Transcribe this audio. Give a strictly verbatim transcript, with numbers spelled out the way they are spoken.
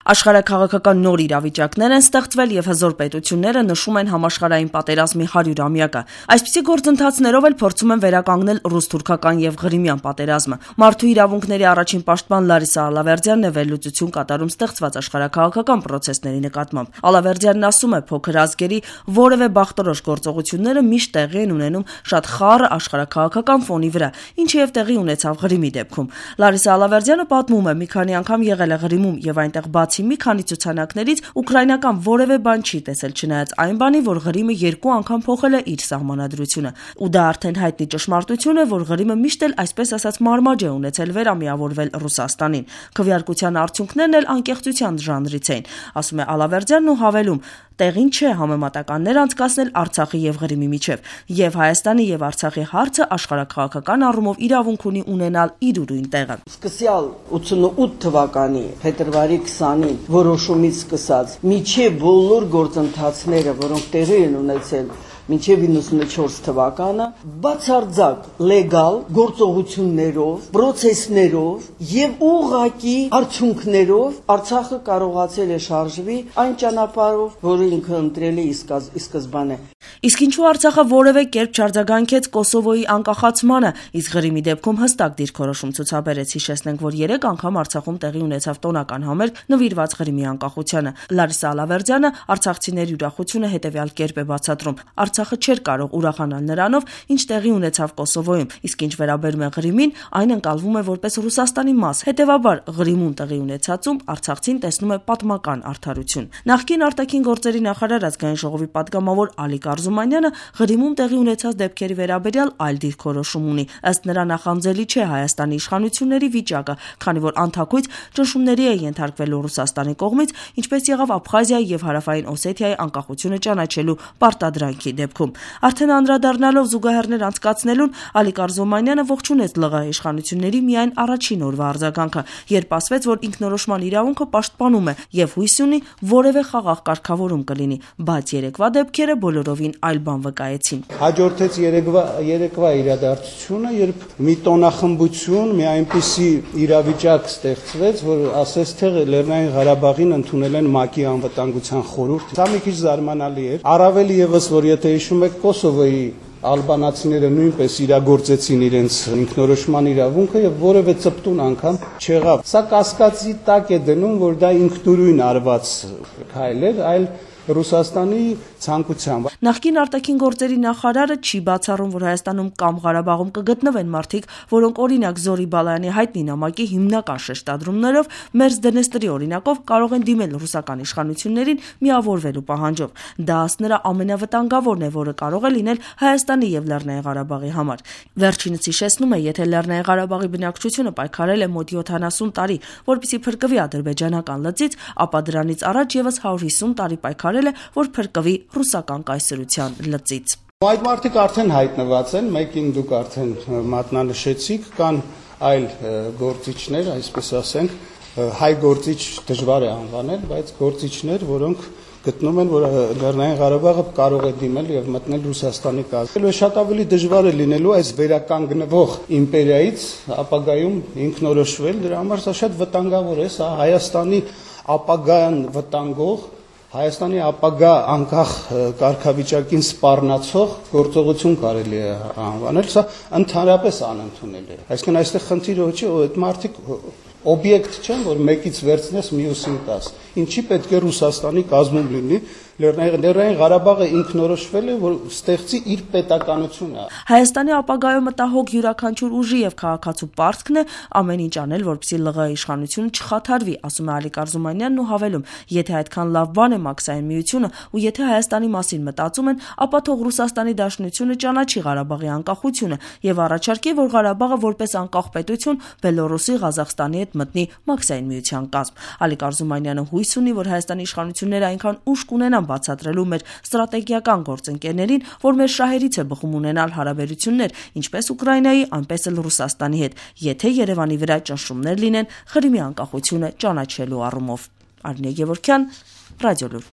Աշխարհաքաղաքական նոր իրավիճակներ են ստեղծվել եւ հզոր պետությունները նշում են համաշխարհային պատերազմի հարյուրամյակը։ Այսպիսի գործընթացներով էլ փորձում են վերականգնել ռուս-թուրքական եւ Ղրիմյան պատերազմը։ Մարդու իրավունքների առաջին պաշտպան Լարիսա Ալավերդյանն է վերլուծություն կատարում ստեղծված աշխարհաքաղաքական պրոցեսների նկատմամբ։ Ալավերդյանն ասում է, փոքր ազգերի որևէ բախտորոշ գործողությունները միշտ տեղի են ունենում շատ խառը աշխարհաքաղաքական ֆոնի վրա, ինչը եւ տեղի ունեցավ Ղրիմի դեպքում։ Լարիսա Ալավերդյանը պատմում է, մի քանի անգամ եղել է Ղրիմում եւ այնտեղ բացի մի քանի ցուցանակներից ուկրաինական որևէ բան չի տեսել, չնայած այն բանի, որ Ղրիմը երկու անգամ փոխել է իր սահմանադրությունը։ Ու դա արդեն հայտնի ճշմարտություն է, որ Ղրիմը միշտ էլ այսպես ասած մարմաջ է ունեցել վերամիավորվել Ռուսաստանին։ Քվեարկության արդյունքներն էլ անկեղծության ժանրից էին, ասում է Ալավերդյանն ու հավելում. տեղին չէ համեմատականներ անցկացնել Արցախի եւ Ղրիմի միջև, եւ Հայաստանի եւ Արցախի հարցը աշխարհաքաղաքական առումով իրավունք ունի ունենալ իր ուրույն տեղը։ Սկսյալ ութսունութ թվականի փետրվարի քսանին որոշումից սկսած միջև բոլոր գործընթացները, որոնք տեղի են ունեցել մինչև իննսունչորս թվականը, բացարձակ լեգալ գործողություններով, պրոցեսներով եւ ուղղակի արդյունքներով Արցախը կարողացել է շարժվի այն ճանապարհով, որը ինքը ընտրել է ի սկզբանե։ Իսկ ինչու Արցախը որևէ կերպ չարձագանքեց Կոսովոյի անկախացմանը, իսկ Ղրիմի դեպքում հստակ դիրքորոշում ցուցաբերեց։ Հիշեցնենք, որ երեք անգամ Արցախում տեղի ունեցավ տոնական համերգ նվիրված Ղրիմի անկախությանը։ Լարիսա Ալավերդյանը արցախցիների ուրախությունը հետևյալ կերպ է բացատրում. Արցախը չէր կարող ուրախանալ նրանով, ինչ տեղի ունեցավ Կոսովոյում, իսկ ինչ վերաբերում է Ղրիմին, այն ընկալվում է որպես Ռուսաստանի մաս։ Հետևաբար Ղրիմում տեղի ունեցածում Արցախցին տեսնում է պատմական արդարություն։ Նախկին արտաքին գործերի նախարար ազգային ժողովի պատգամավոր Ալիկ Արզումանյանը Ղրիմում տեղի ունեցած դեպքերի վերաբերյալ այլ դիրքորոշում ունի։ Ըստ նրա նախանձելի չէ Հայաստանի իշխանությունների վիճակը, քանի որ անթակույց ճնշումների է ենթարկվելու Ռուսաստանի կողմից, ինչպես եղավ Աբխազիայի եւ Հարավային Օսեթիայի անկախությունը ճանաչելու պարտադրանքի դեպքում։ Արդեն անդրադառնալով զուգահեռներ անցկացնելուն Ալիկ Արզումանյանը ողջունեց ԼՂՀ իշխանությունների միայն առաջին օրվա արձագանքը, երբ ասվեց, որ ինքնորոշման իրավունքը պաշտպանում է եւ հույս ունի որևէ խաղաղ կարգավորում կլինի, բայց երեկվա դեպքերը բոլորովին այլ բան վկայեցին։ Հաջորդեց երեկվա երեկվա իրադարձությունը, երբ մի տոնախմբություն, մի այնպիսի իրավիճակ ստեղծվեց, որ ասես թե Լեռնային Ղարաբաղին ընդունել են ՄԱԿ-ի անվտանգության խորհուրդ։ Դա մի քիչ զարմանալի էր։ Առավել եւս, որ եթե հիշում եք Կոսովոյի ալբանացիները նույնպես իրագործեցին իրենց ինքնորոշման իրավունքը եւ որևէ ծպտուն անգամ չեղավ։ Սա կասկածի տակ է դնում, որ դա ինքնուրույն արված քայլ էր, այլ Ռուսաստանի ցանկությամբ։ Նախկին արտաքին գործերի նախարարը չի բացառում, որ Հայաստանում կամ Ղարաբաղում կգտնվեն մարդիկ, որոնք օրինակ Զորի Բալայանի հայտնի նամակի հիմնական շեշտադրումներով Մերձ Դնեստրի օրինակով կարող են դիմել ռուսական իշխանություններին միավորվելու պահանջով։ Դա ըստ նրա ամենավտանգավորն է, որը կարող է լինել Հայաստանի եւ Լեռնային Ղարաբաղի համար։ Վերջինս հիշեցնում է, եթե Լեռնային Ղարաբաղի բնակչությունը պայքարել է մոտ յոթանասուն տարի, որպեսզի փրկվի ադրբեջանական լծից, ապա դրանից առաջ եւս հարյուր հիսուն տարի պայքարել է, որ փրկվի ռուսական կայսրության լծից։ Այդ մարդիկ արդեն հայտնված են, մեկին դուք արդեն մատնանշեցիք, կան այլ գործիչներ, այսպես ասենք, հայ գործիչ դժվար է անվանել, բայց գործիչներ, որոնք գտնում են, որ Լեռնային Ղարաբաղը կարող է դիմել եւ մտնել Ռուսաստանի կազմում։ Շատ ավելի դժվար է լինելու այս վերականգնվող իմպերիայից ապագայում ինքնորոշվել, դրա համար սա շատ վտանգավոր է, սա Հայաստանի ապագան վտանգող, Հայաստանի ապագա անկախ կարգավիճակին սպառնացող գործողություն կարելի է անվանել, սա ընդհանրապես անընդունելի է։ Այսինքն այստեղ խնդիրը չէ, այդ մարդիկ օբյեկտ չեն, որ մեկից վերցնես մյուսին տաս։ Ինչի պետք է Ռուսաստանի կազմում լինի Լեռնային Ղարաբաղը ինքնորոշվել է, որ ստեղծի իր պետականությունը։ Հայաստանի ապագայում մտահոգ յուրաքանչյուր ուժի եւ քաղաքացու պարտքն է ամեն ինչ անել, որպեսզի ԼՂՀ իշխանությունը չխաթարվի, ասում է Ալիկ Արզումանյանն ու հավելում. եթե այդքան լավ բան է Մաքսային միությունը ու եթե Հայաստանի մասին մտածում են, ապա թող Ռուսաստանի Դաշնությունը ճանաչի Ղարաբաղի անկախությունը եւ առաջարկի, որ Ղարաբաղը որպես անկախ պետություն Բելոռուսի, Ղազախստանի հետ մտնի Մաքսային միության կազմ։ Ալիկ Արզումանյանը հույս ունի, որ Հայաստանի իշխանությունները այնքան ուժ կունենան բացատրելու մեր ստրատեգիական գործընկերներին, որ մեր շահերից է բխում ունենալ հարաբերություններ ինչպես Ուկրաինայի, այնպես էլ Ռուսաստանի հետ, եթե Երևանի վրա ճնշումներ լինեն Ղրիմի անկախությունը ճանաչելու առումով։ Արինե Գևորգյան, Ռադիոլուր։